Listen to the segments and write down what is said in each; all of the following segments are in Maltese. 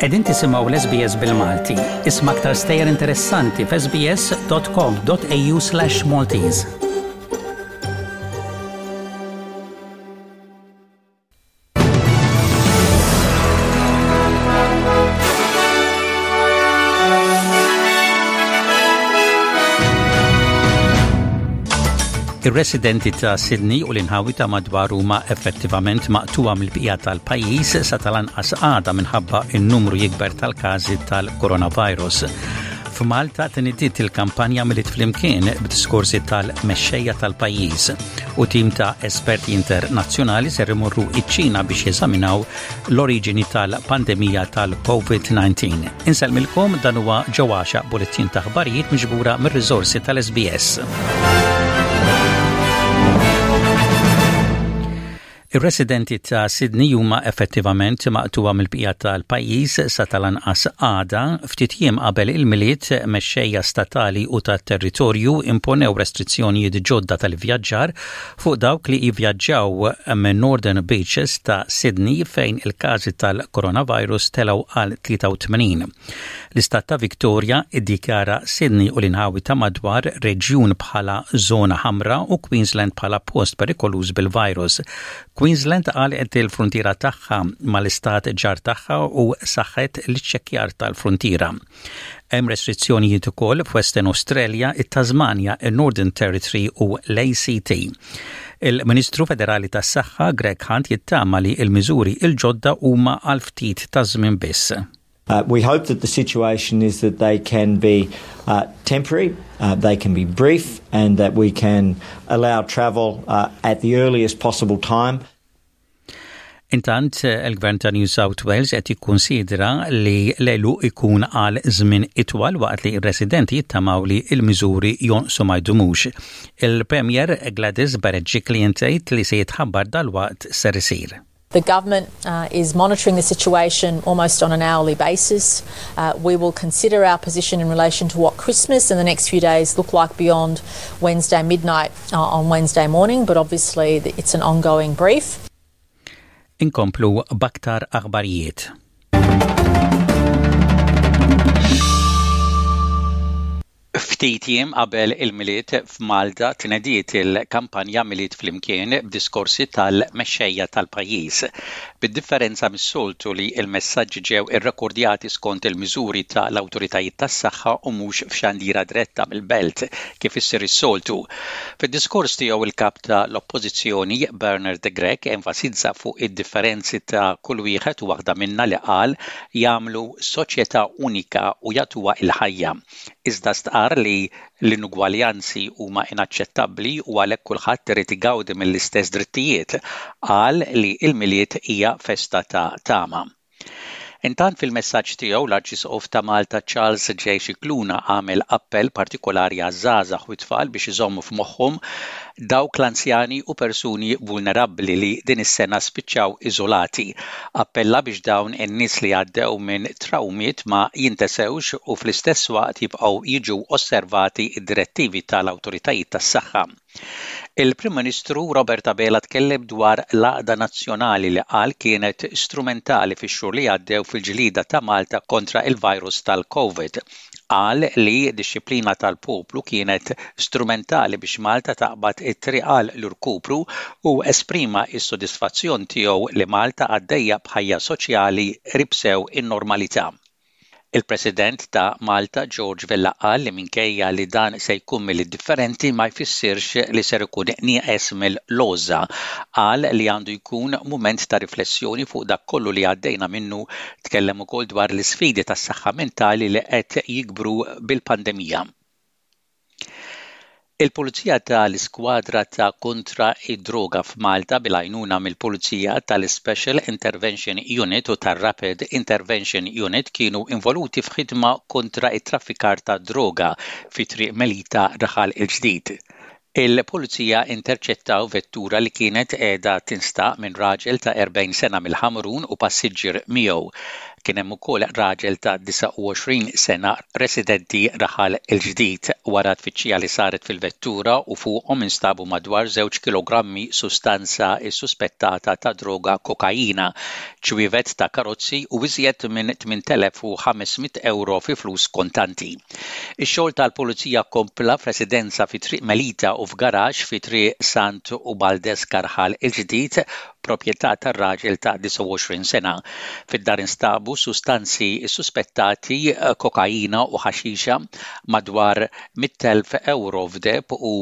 Qegħdin tisimgħu l-SBS bil-Malti. Isma' aktar stejjer interessanti f'sbs.com.au/Maltese. Ir-residenti ta' Sydney u l-inħawi ta' madwar huma effettivament maqtuwa mill-bqija tal-pajjiż sa tal-anqas għada minħabba n-numru jikber tal-każi tal-coronavirus. F'Malta tnidiet il-kampanja Milied Flimkien b'diskorsi tal-mexxejja tal-pajjiż u tim ta' esperti internazzjonali ser imorru iċ-Ċina biex jeżaminaw l-oriġini tal-pandemija tal-COVID-19. Insellmilkom dan huwa ġewwaxa bulettin ta' aħbarijiet miġbura mir-riżorsi tal-SBS. Ir-residenti ta' Sydney huma effettivament maqtugħa mill-bqija tal-pajjiż sa tal-anqas għada, ftit jiem qabel il-Milied, mexxejja statali u tat-territorju imponew restrizzjonijiet ġodda tal-ivvjaġġar fuq dawk li jivvjaġġaw minn Northern Beaches ta' Sydney fejn il-każi tal-coronavirus telgħu għal 83. L-Istat ta' Victoria iddikjara Sydney u l-inħawi ta' madwar reġjun bħala żona ħamra u Queensland bħala post perikoluż bil-virus. Queensland għalqet il-fruntiera tagħha mal-istat ġar tagħha u saħħet l-iċċekkjar tal-fruntiera. Hemm restrizzjonijiet ukoll f'Western Australia, it-Tasmania, in-Northern Territory u l-ACT. Il-Ministru Federali tas-Saħħa Greg Hunt jittama li l-miżuri l-ġodda huma għal ftit ta' żmien biss. Uh, we hope that the situation is that they can be uh, temporary, uh, they can be brief, and that we can allow travel uh, at the earliest possible time. Intant, il-Gvern ta' New South Wales qed jikkunsidra li l-għeluq ikun għal żmien itwal waqt li r-residenti jittamaw li l-miżuri jonqsu ma jdumux. Il-Premier Gladys Berejiklian tgħid li se jitħabbar dalwaqt ser isir. The government uh, is monitoring the situation almost on an hourly basis. Uh, we will consider our position in relation to what Christmas and the next few days look like beyond Wednesday midnight uh, on Wednesday morning, but obviously it's an ongoing brief. Inkomplu b'aktar aħbarijiet. Ftit jiem qabel il-Milied f'Malta tnediet il-kampanja Milied Flimkien b'diskorsi tal-mexxejja tal-pajjiż. Bid-differenza mis-soltu li l-messaġġi ġew irrekordjati skont il-miżuri ta' l-awtoritajiet tas-saħħa u mhux f'xandira diretta mill-Belt kif issir is-soltu. Fid-diskors tiegħu l-Kap ta' l-Oppożizzjoni Bernard Grech enfasizza fuq id-differenzi ta' kull wieħed u waħda minna li qal jagħmlu soċjetà unika u jagħtuha l-ħajja. Iżda stqarr li l-inugwaljanzi huma inaċċettabbli u għalhekk kulħadd irid igawdi mill-istess drittijiet. Qal li l-Milied hija festa ta' tama. Intant fil-messaġġ tiegħu l-Arċisqof ta' Malta Charles J. Scicluna għamel appell partikolari għaż-żgħażagħ u t-tfal biex iżommu f'moħħhom dawk l-anzjani u persuni vulnerabbli li din is-sena spiċċaw iżolati. Appella biex dawn in-nies li għaddew minn trawmiet ma jintesewx u fl-istess waqt jibqgħu jiġu osservati d-direttivi tal-awtoritajiet tas-saħħa. Il-Prim Ministru Robert Abela tkellem dwar l-għaqda nazzjonali li qal kienet strumentali fix-xhur li għaddew fil-ġlieda ta' Malta kontra il-virus tal-Covid. Qal li d-dixxiplina tal-poplu kienet strumentali biex Malta taqbad it-triq għal l-irkupru u esprima s-sodisfazzjon tiegħu li Malta għaddejja b'ħajja soċjali qrib sew in-normalità. Il-President ta' Malta George Vella qal li minkejja li dan se jkun Milied differenti ma jfissirx li ser ikun nieqes mill-għożża. Qal li għandu jkun mument ta' riflessjoni fuq dak kollu li għaddejna minnu Tkellem ukoll dwar l-isfidi tas-saħħa mentali li qed jikbru bil-pandemija. Il-Pulizija tal-Iskwadra ta' Kontra d-Droga f'Malta bil-għajnuna mill-Pulizija tal-Special Intervention Unit u tar-Rapid Intervention Unit kienu involuti f'ħidma kontra t-traffikar tad-droga fi Triq Melita, Raħal il-Ġdid. Il-Pulizija interċettaw vettura li kienet qiegħda tinstaq minn raġel ta' 40 sena mill-Ħamrun u passiġġier miegħu. Kien hemm ukoll raġel ta' 29 sena residenti Raħal il-Ġdid. Wara tfittxija li saret fil-vettura u fuqhom instabu madwar żewġ kilogrammi sustanza ssuspettata ta' droga kokaina, ċwievet ta' karozzi u iżjed minn 8,500 ewro fi flus kontanti. Ix-xogħol tal-Pulizija kompla f'residenza fi Triq Melita u f'garaxx fi Triq Sant Ubaldeska Raħal il-Ġdid proprjetà tar-raġel ta' 29 sena. Fid-dar instabu sustanzi ssuspettati, kokaina u ħaxixa, madwar 100,000 ewro f'deheb u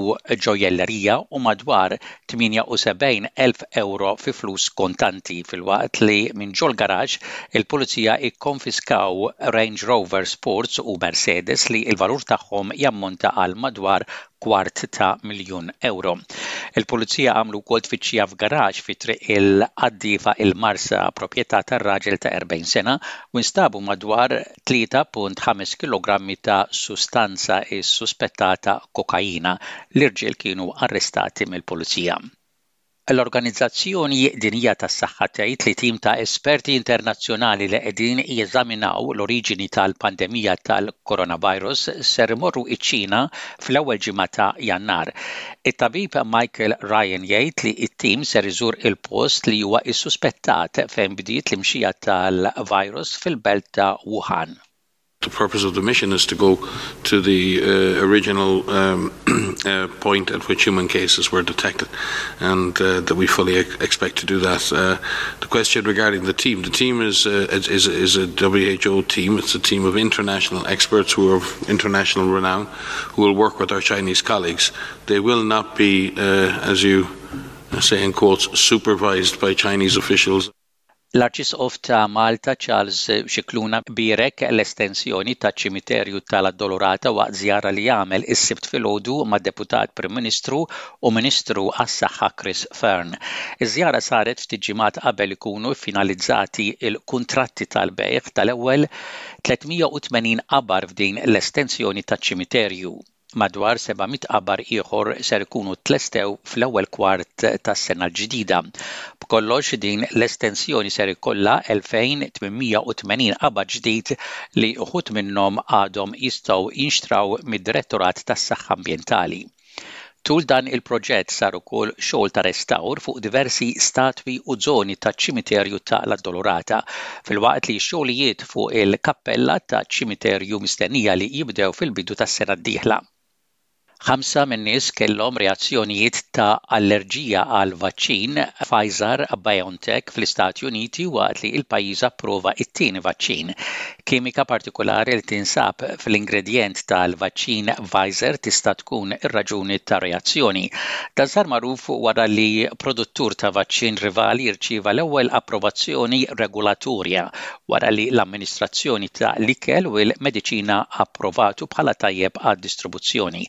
ġojjellerija u madwar 78,000 ewro fi flus kontanti, filwaqt li minn ġol-garaxx il-Pulizija kkonfiskaw Range Rover Sports u Mercedes li l-valur tagħhom jammonta għal madwar kwart ta' miljun ewro. Il-Pulizija għamlu wkoll tfittxija f'garaxx fi Triq il-Qaddiefa il-Marsa, proprjetà tar-raġel ta' 40 sena, u nstabu madwar 3.5 kilogrammi ta' sustanza ssuspettata kokaina. L-irġiel kienu arrestati mill-Pulizija. L-Organizzazzjoni Dinjija tas-Saħħa tgħid li tim ta' esperti internazzjonali li qegħdin jeżaminaw l-oriġini tal-pandemija tal-coronavirus ser imorru iċ-Ċina fl-ewwel ġimgħa ta' Jannar. It-tabib Michael Ryan jgħid li t-tim ser iżur il-post li huwa ssuspettat fejn bdiet l-imxija tal-virus fil-belt ta' Wuhan. The purpose of the mission is to go to the uh, original um, uh, point at which human cases were detected, and uh, that we fully expect to do that. Uh, the question regarding the team the team is, uh, is, is a WHO team, it's a team of international experts who are of international renown who will work with our Chinese colleagues. They will not be, uh, as you say in quotes, supervised by Chinese officials. L-Arċisqof ta' Malta Charles Scicluna bierek l-estensjoni taċ-ċimiterju tal-Addolorata waqt żjara li għamel is-Sibt filgħodu mad-Deputat Prim Ministru u Ministru għas-Saħħa Chris Fearne. Iż-żjara saret ftit ġimgħat qabel ikunu ffinalizzati l-kuntratti tal-bejgħ tal-ewwel 380 qabar f'din l-estensjoni taċ-ċimiterju. Madwar 700 qabar ieħor ser ikunu tlestew fl-ewwel kwart tas-sena l-ġdida. B'kollox din l-estensjoni ser ikollha 2,880 qabar ġdid li uħud minnhom għadhom jistgħu jinxtraw mid-Direttorat tas-Saħħa Ambjentali. Tul dan il-proġett sar ukoll xogħol ta' restawr fuq diversi statwi u żoni taċ-ċimiterju ta' l-Addolorata, filwaqt li x-xogħlijiet fuq il-kappella taċ-ċimiterju mistennija li jibdew fil-bidu tas-sena d-dieħla. Ħamsa min-nies kellhom reazzjonijiet ta' allerġija għall-vaċċin Pfizer-BioNTech fl-Istati Uniti waqt li l-pajjiż approva t-tieni vaċċin. Kimika partikulari li tinsab fl-ingredjent tal-vaċċin Pfizer tista' tkun ir-raġuni tar-reazzjoni. Dan sar magħruf wara li produttur ta' vaċċin rivali rċieva l-ewwel approvazzjoni regolatorja wara li l-Amministrazzjoni ta' l-Ikel u l-Mediċina approvatu bħala tajjeb għad-distribuzzjoni.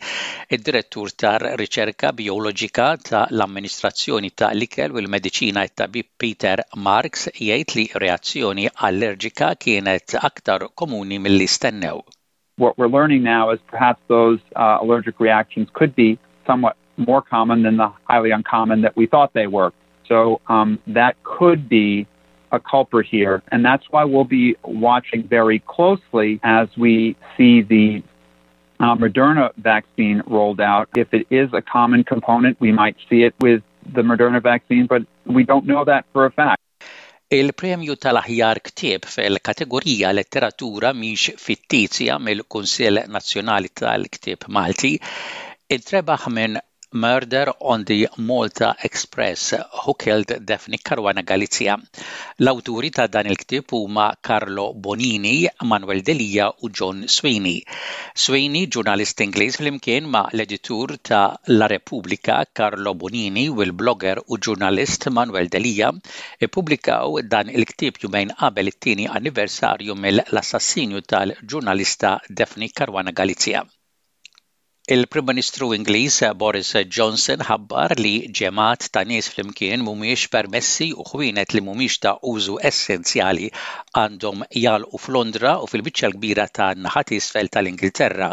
Id-Direttur tar-Riċerka Bijoloġika ta' l-Amministrazzjoni ta' l-Ikel u l-Mediċina it-Tabib Peter Marks jgħid li reazzjoni allerġika kienet aktar komuni milli stennew. What we're learning now is perhaps those uh, allergic reactions could be somewhat more common than the highly uncommon that we thought they were. So um, that could be a culprit here. And that's why we'll be watching very closely as we see the uh, Moderna vaccine rolled out. If it is a common component, we might see it with the Moderna vaccine, but we don't know that for a fact. Il-premju tal-aħjar ktieb fil-kategorija Letteratura mhix fittizja mill-Kunsill Nazzjonali tal-Ktieb Malti intrebaħ minn Murder on the Malta Express, Who Killed Daphne Caruana Galizia. L-awturi ta' dan il-ktieb huma Carlo Bonini, Manuel Delia u John Sweeney. Sweeney, ġurnalist Ingliż flimkien ma' l-editur ta' La Repubblica Carlo Bonini u l-blogger u ġurnalist Manuel Delia, ippubblikaw dan il-ktieb jumejn qabel it-tieni anniversarju mill-assassinju tal-ġurnalista Daphne Caruana Galizia. Il-Prim Ministru Ingliż Boris Johnson ħabbar li ġemgħat ta' nies flimkien mhumiex permessi u ħwienet li mhumiex ta' użu essenzjali għandhom jagħlqu f'Londra u fil-biċċa l-kbira tan-naħa t'isfel tal-Ingilterra.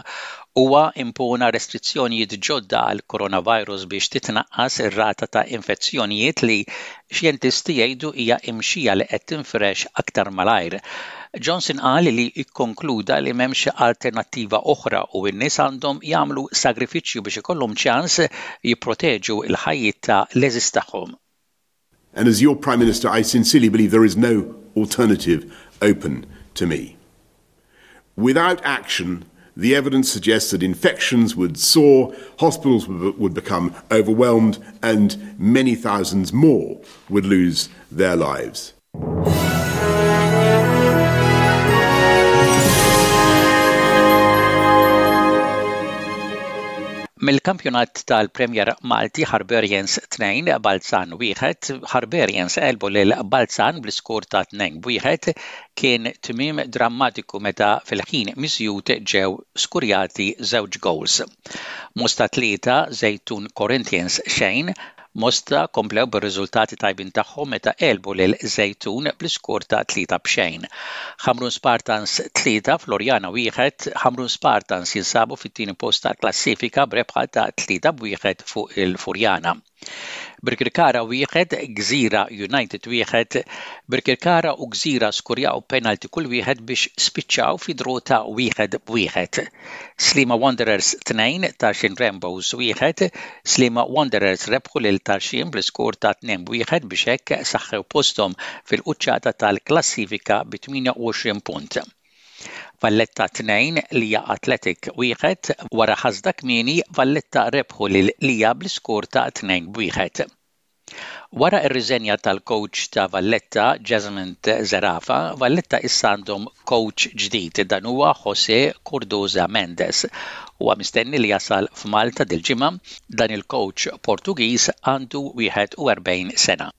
Huwa impona restrizzjonijiet ġodda għall-coronavirus biex titnaqqas ir-rata ta' infezzjonijiet li xjentisti jgħidu hija imxija li qed tinfirex aktar malajr. Johnson qal li kkonkluda li m'hemmx alternattiva oħra u n-nies għandhom jagħmlu sagrifiċċju biex ikollhom ċans jipproteġu l-ħajjiet ta' l-għeżież tagħhom. And as your Prime Minister, I sincerely believe there is no alternative open to me. Without action, the evidence suggests that infections would soar, hospitals would become overwhelmed, and many thousands more would lose their lives. Mill-kampjonat tal-Premier Malti Harbarians 2 Balzan 1, Harbarians għelbu lil Balzan bl-iskor ta' 2-1, kien tmiem drammatiku meta fil-ħin miżjud ġew skurjati żewġ gowls. Mosta 3, Żejtun Corinthians xejn, Mosta komplew bir-riżultati tajbin tagħhom meta għelbu lil Żejtun bl-iskor ta' 3 b'xejn. Ħamrun Spartans 3, Floriana 1, Ħamrun Spartans jinsabu fit-tieni post tal-klassifika b'rebħa ta' 3 b'wieħed fuq il-Furjana. Birkirkara 1, Gżira United 1, Birkirkara u Gżira skurjaw penalty kull wieħed biex spiċċaw fi draw ta' wieħed b'wieħed. Sliema Wanderers 2, Tarxien Rainbows 1, Sliema Wanderers rebħu lil Tarxien bl-iskor ta' 2 b'wieħed biex hekk saħħew posthom fil-quċċata tal-klassifika bi 28 punt. Valletta 2, Lija Athletic 1, Wara ħasda kmieni, Valletta rebħu lil Lija bl-iskor ta' 2 b'wieħed. Wara r-riżenja tal-kowċ ta' Valletta, Jasmond Zerafa, Valletta issa għandhom kowċ ġdid, dan huwa José Cordoza Mendes. Huwa mistenni li jasal f'Malta dil-ġimgħa, dan il-kowċ Portugiż għandu 41 sena.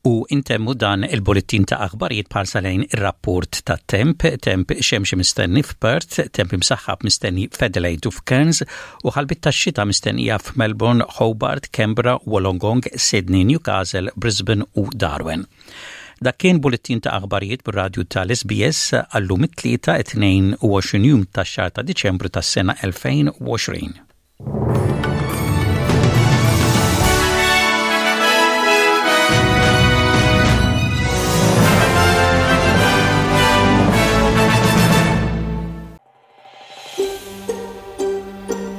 U intemmu dan il-bullettin ta' aħbarijiet b'ħarsa lejn ir-rapport tat-temp, temp xemxi mistenni f'Perth, temp imsaħħab mistenni f'Adelaide u f'Cairns, u ħalbiet tax-xita mistennija f'Melbourne, Hobart, Canberra, Wollongong, Sydney, Newcastle, Brisbane u Darwin. Dak kien bullettin ta' aħbarijiet bir-radju tal-SBS għallum it-Tlieta 22 jum tax-xahar ta' Diċembru tas-sena 2020.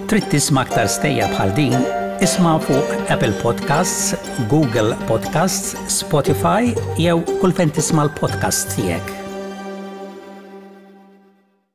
Trid tisma' aktar stejjer bħal din? Isma' fuq Apple Podcasts, Google Podcasts, Spotify jew kull fejn tisma' l-podcasts tiegħek.